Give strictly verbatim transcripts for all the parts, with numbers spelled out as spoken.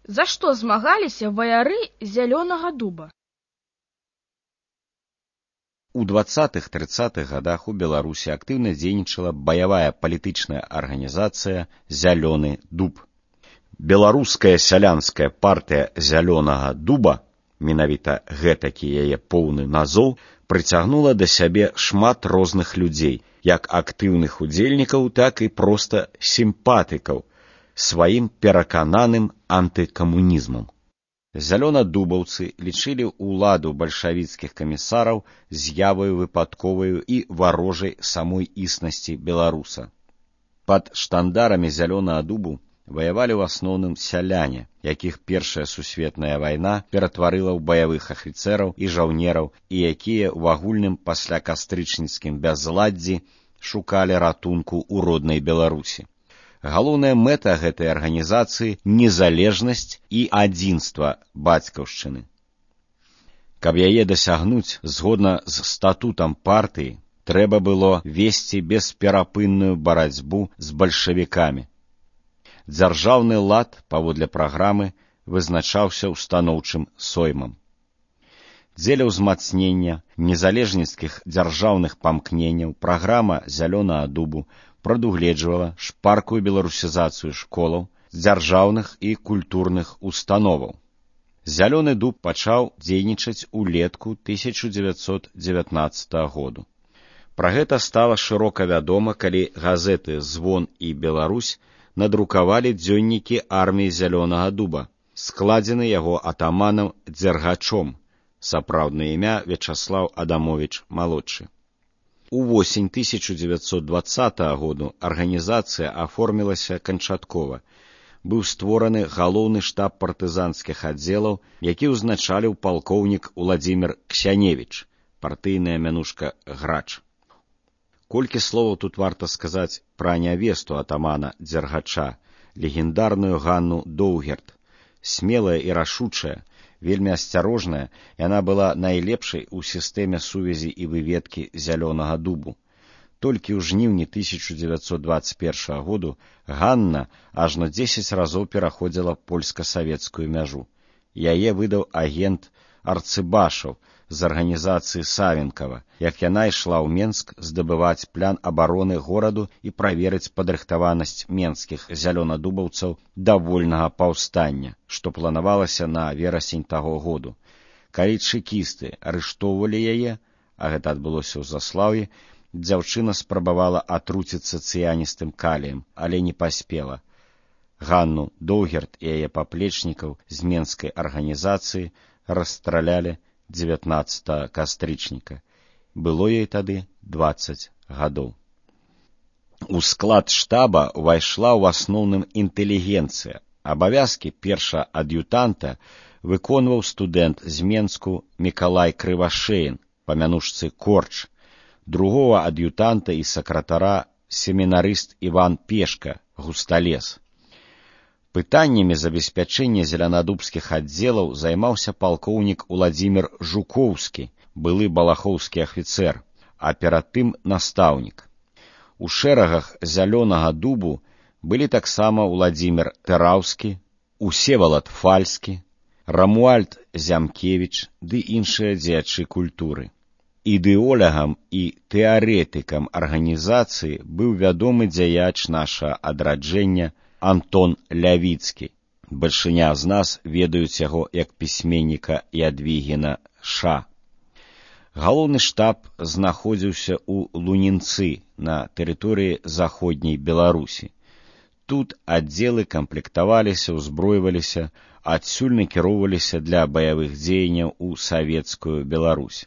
За што змагаліся ваяры Зялёнага дуба? У дваццатых-трыццатых гадах у Беларусі актыўна дзейнічала баявая палітычная арганізацыя «Зялёны дуб». Беларуская сялянская партыя Зялёнага дуба, менавіта гэтакі яе поўны назоў, прыцягнула да сябе шмат розных людзей, як актыўных удзельнікаў, так і проста сімпатыкаў, сваім перакананым антыкамунізмам. Зялёнадубаўцы лічылі ўладу бальшавіцкіх камісараў з'яваю выпадковаю і варожай самой існасці беларуса. Пад штандарамі Зялёнага дубу ваявалі ў асноўным сяляне, якіх Першая сусветная вайна ператварыла ў баявых афіцэраў і жаўнераў, і якія ў агульным паслякастрычніцкім бязладдзі шукалі ратунку ў роднай Беларусі. Галоўная мэта гэтай арганізацыі – незалежнасць і адзінства бацькаўшчыны. Каб яе дасягнуць, згодна з статутам партыі, трэба было весці бесперапынную барацьбу з бальшавікамі. Дзяржаўны лад, паводле праграмы, вызначаўся ўстаноўчым соймам. Дзеля ўзмацнення незалежніцкіх дзяржаўных памкненняў праграма Зялёнага дубу прадугледжвала шпаркую беларусізацыю школаў, дзяржаўных і культурных установаў. Зялёны дуб пачаў дзейнічаць улетку тысяча дзевяцьсот дзевятнаццатага году. Пра гэта стала шырока вядома, калі газеты «Звон» і «Беларусь» надрукавалі дзённікі арміі Зялёнага дуба, складзены яго атаманам Дзергачом, сапраўднае імя Вячаслаў Адамовіч малодшы. Увосень тысяча дзевяцьсот дваццатага году арганізацыя аформілася канчаткова. Быў створаны галоўны штаб партызанскіх аддзелаў, які ўзначаліў палкоўнік Уладзімір Ксяневіч, партыйная мянушка Грач. Колькі словаў тут варта сказаць пра нявесту атамана Дзергача, легендарную Ганну Доўгерт. Смелая і рашучая, вельмі асцярожная, яна была найлепшай у сістэме сувязі і выведкі Зялёнага дубу. Толькі ў жніўні тысяча дзевяцьсот дваццаць першага году Ганна ажно дзесяць разоў пераходзіла польска-савецкую мяжу. Яе выдаў агент Арцыбашаў з арганізацыі Савенкава, як яна ішла ў Менск здабываць план абароны гораду і праверыць падрыхтаванасць менскіх зялёнадубаўцаў да вольнага паўстання, што планавалася на верасень таго году. Калі чэкісты арыштоўвалі яе, а гэта адбылося ў Заслаўі, дзяўчына спрабавала атруціцца цыяністым каліем, але не паспела. Ганну Доўгерт і яе паплечнікаў з менскай арганізацыі расстралялі дзевятнаццатага кастрычніка. Было ёй тады дваццаць гадоў. У склад штаба ўвайшла ў асноўным інтэлігенцыя. Абавязкі перша-ад'ютанта выконваў студэнт з Менску Мікалай Крывашеін, па мянушцы Корч, другого ад'ютанта і сакратара семінарыст Іван Пешка, Густалес. Пытаннямі забеспячэння зелянадубскіх аддзелаў займаўся палкоўнік Уладзімір Жукоўскі, былы балахоўскі афіцэр, а перад тым настаўнік. У шэрагах Зялёнага дубу былі таксама Уладзімір Тэраўскі, Усевалад Фальскі, Рамуальд Зямкевіч ды іншыя дзеячы культуры. Ідэолягам і тэарэтыкам арганізацыі быў вядомы дзяяч нашага адраджэння Антон Лявіцкі. Бальшыня з нас ведаюць яго як пісьменніка Ядвігіна Ша. Галоўны штаб знаходзіўся ў Лунінцы на тэрыторыі заходняй Беларусі. Тут аддзелы камплектаваліся, узброіваліся, адсюль накіроўваліся для баявых дзеянняў у савецкую Беларусь.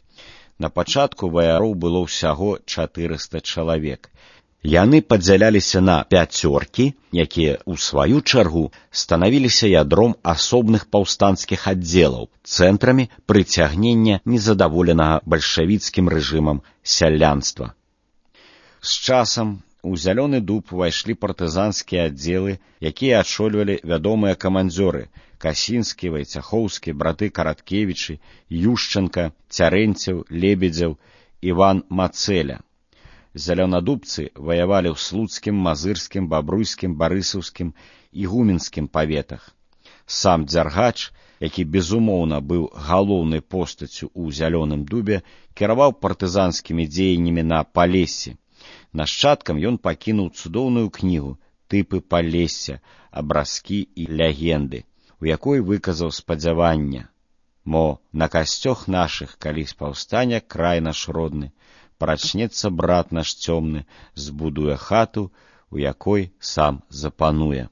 На пачатку ваяроў было ўсяго чатырыста чалавек. Яны падзяляліся на пяцёркі, якія, у сваю чаргу, станавіліся ядром асобных паўстанцкіх аддзелаў, цэнтрамі прыцягнення незадаволенага бальшавіцкім рэжымам сялянства. З часам у Зялёны дуб увайшлі партызанскія аддзелы, якія адшольвалі вядомыя камандзёры Касінскі, Вайцяхоўскі, браты Караткевічы, Юшченка, Цярэнцеў, Лебедзеў, Іван Мацэля. Зялёнадубцы ваявалі ў слуцкім, мазырскім, бабруйскім, барысаўскім і гуменскім паветах. Сам Дзяргач, які безумоўна быў галоўнай постаццю ў зялёным дубе, кіраваў партызанскімі дзеяннямі на Палессі. Нашчадкам ён пакінуў цудоўную кнігу «Тыпы Палесся, абразкі і легенды», у якой выказаў спадзяванне, мо на касцёх нашых калісь паўстане край наш родны, прачнецца брат наш цёмны, збудуе хату, у якой сам запануе.